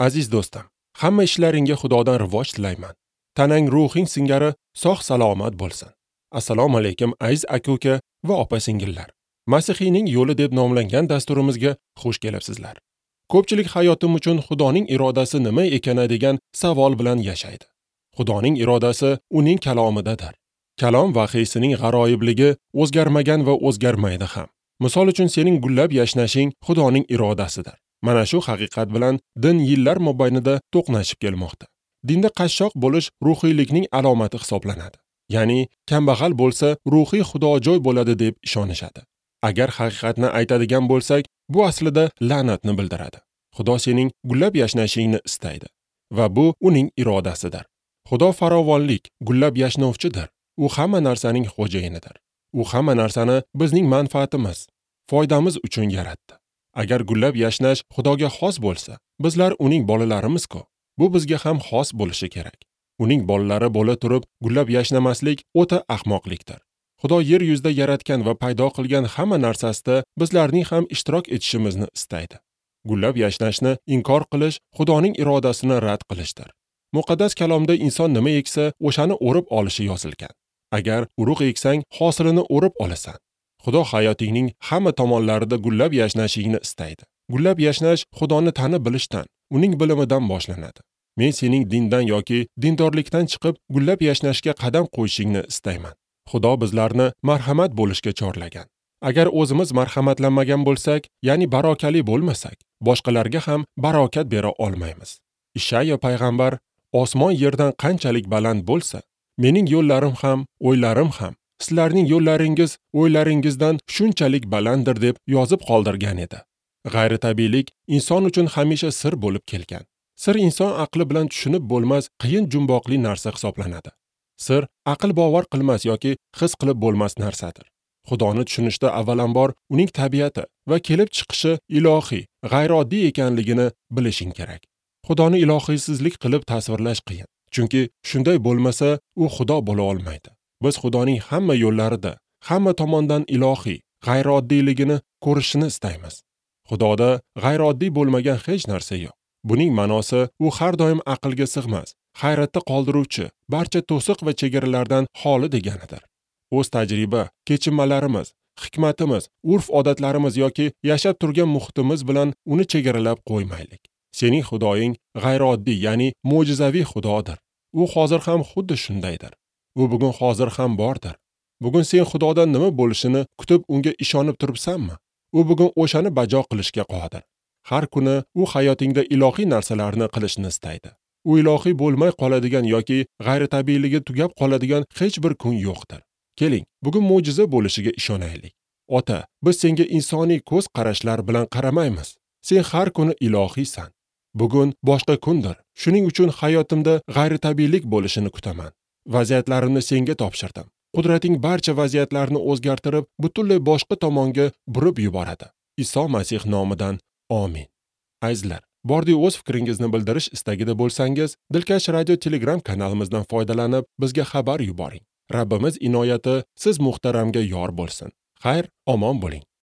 Aziz do'stim, hamma ishlaringga Xudodan rivoj tilayman. Tanang ruhing singari sog' salomat bo'lsin. Assalomu alaykum aziz aka-uka va opa-singillar. Masihiyning yo'li deb nomlangan dasturimizga xush kelibsizlar. Ko'pchilik hayotim uchun Xudoning irodasi nima ekani degan savol bilan yashaydi. Xudoning irodasi uning kalomidadir. Kalom vahiysining g'aroyibligi o'zgarmagan va o'zgarmaydi ham. Misol uchun sening gullab yashnashing Xudoning irodasidir. Mana shu haqiqat bilan din yillar mobaynida to'qnashib kelmoqda. Dinda qashshoq bo'lish ruhiylikning alomati hisoblanadi. Ya'ni kambag'al bo'lsa ruhiy xudojo'y bo'ladi deb ishonishadi. Agar haqiqatni aytadigan bo'lsak, bu aslida la'natni bildiradi. Xudo sening gullab yashnashingni istaydi va bu uning irodasidir. Xudo farovonlik, gullab yashnovchidir. U hamma narsaning xo'jayinidir. U hamma narsani bizning manfaatimiz, foydamiz uchun yaratdi. Agar gullab yashnash Xudoga xos bo'lsa, bizlar uning bolalarimiz-ku. Bu bizga ham xos bo'lishi kerak. Uning bolalari bo'la turib gullab yashnamaslik o'ta ahmoqlikdir. Xudo yer yuzida yaratgan va paydo qilgan hamma narsasida bizlarning ham ishtirok etishimizni istaydi. Gullab yashnashni inkor qilish Xudoning irodasini rad qilishdir. Muqaddas kalomda inson nima eksa, o'shani o'rib olishi yozilgan. Agar urug' eksang, hosilini o'rib olasan. Xudo hayotingning hamma tomonlarida gullab yashnashingni istaydi. Gullab yashnash Xudoni tanib bilishdan, uning bilimidan boshlanadi. Men sening dindan yoki dindorlikdan chiqib gullab yashnashga qadam qo'yishingni istayman. Xudo bizlarni marhamat bo'lishga chorlagan. Agar o'zimiz marhamatlanmagan bo'lsak, ya'ni barokali bo'lmasak, boshqalarga ham barokat bera olmaymiz. Ishayo payg'ambar: "Osmon yerdan qanchalik baland bo'lsa, mening yo'llarim ham, o'ylarim ham sizlarning yo'llaringiz, o'ylaringizdan shunchalik balanddir" deb yozib qoldirgan edi. G'ayritabiiylik inson uchun hamisha sir bo'lib kelgan. Sir inson aqli bilan tushunib bo'lmas qiyin jumboqli narsa hisoblanadi. Sir aql bovar qilmas yoki his qilib bo'lmas narsadir. Xudoni tushunishda avvalambor uning tabiati va kelib chiqishi ilohiy, g'ayrioddiy ekanligini bilishing kerak. Xudoni ilohiysizlik qilib tasvirlash qiyin. Chunki shunday bo'lmasa, u Xudo bo'la olmaydi. Biz Xudoning hamma yo'llarida, hamma tomondan ilohiy, g'ayriodiyligini ko'rishini istaymiz. Xudoda g'ayrioddiy bo'lmagan hech narsa yo'q. Buning ma'nosi u har doim aqlga sig'mas, hayratda qoldiruvchi, barcha to'siq va chegaralardan xoli deganidir. O'z tajriba, kechinmalarimiz, hikmatimiz, urf-odatlarimiz yoki yashab turgan muhitimiz bilan uni chegaralab qo'ymaylik. Sening Xudoying g'ayrioddiy, ya'ni mo'jizaviy Xudodir. U hozir ham xuddi shundaydir. U bugun hozir ham bordir. Bugun sen Xudodan nima bo'lishini kutib unga ishonib turibsanmi? U bugun o'shani bajo qilishga qodir. Har kuni u hayotingda ilohiy narsalarni qilishni istaydi. U ilohiy bo'lmay qoladigan yoki g'ayritabiiyligi tugab qoladigan hech bir kun yo'qdir. Keling, bugun mo'jiza bo'lishiga ishonaylik. Ota, biz senga insoniy ko'z qarashlar bilan qaramaymiz. Sen har kuni ilohiysan. Bugun boshqa kundir. Shuning uchun hayotimda g'ayritabiiylik bo'lishini kutaman. Vaziyatlarimni senga topshirdim. Qudrating barcha vaziyatlarni o'zgartirib, butunlay boshqa tomonga burib yuboradi. Iso Masih nomidan amin. Azizlar, bordi o'z fikringizni bildirish istagida bo'lsangiz, Dilkash Radio Telegram kanalimizdan foydalanib, bizga xabar yuboring. Rabbimiz inoyati siz muhtaramga yor bo'lsin. Xayr, omon bo'ling.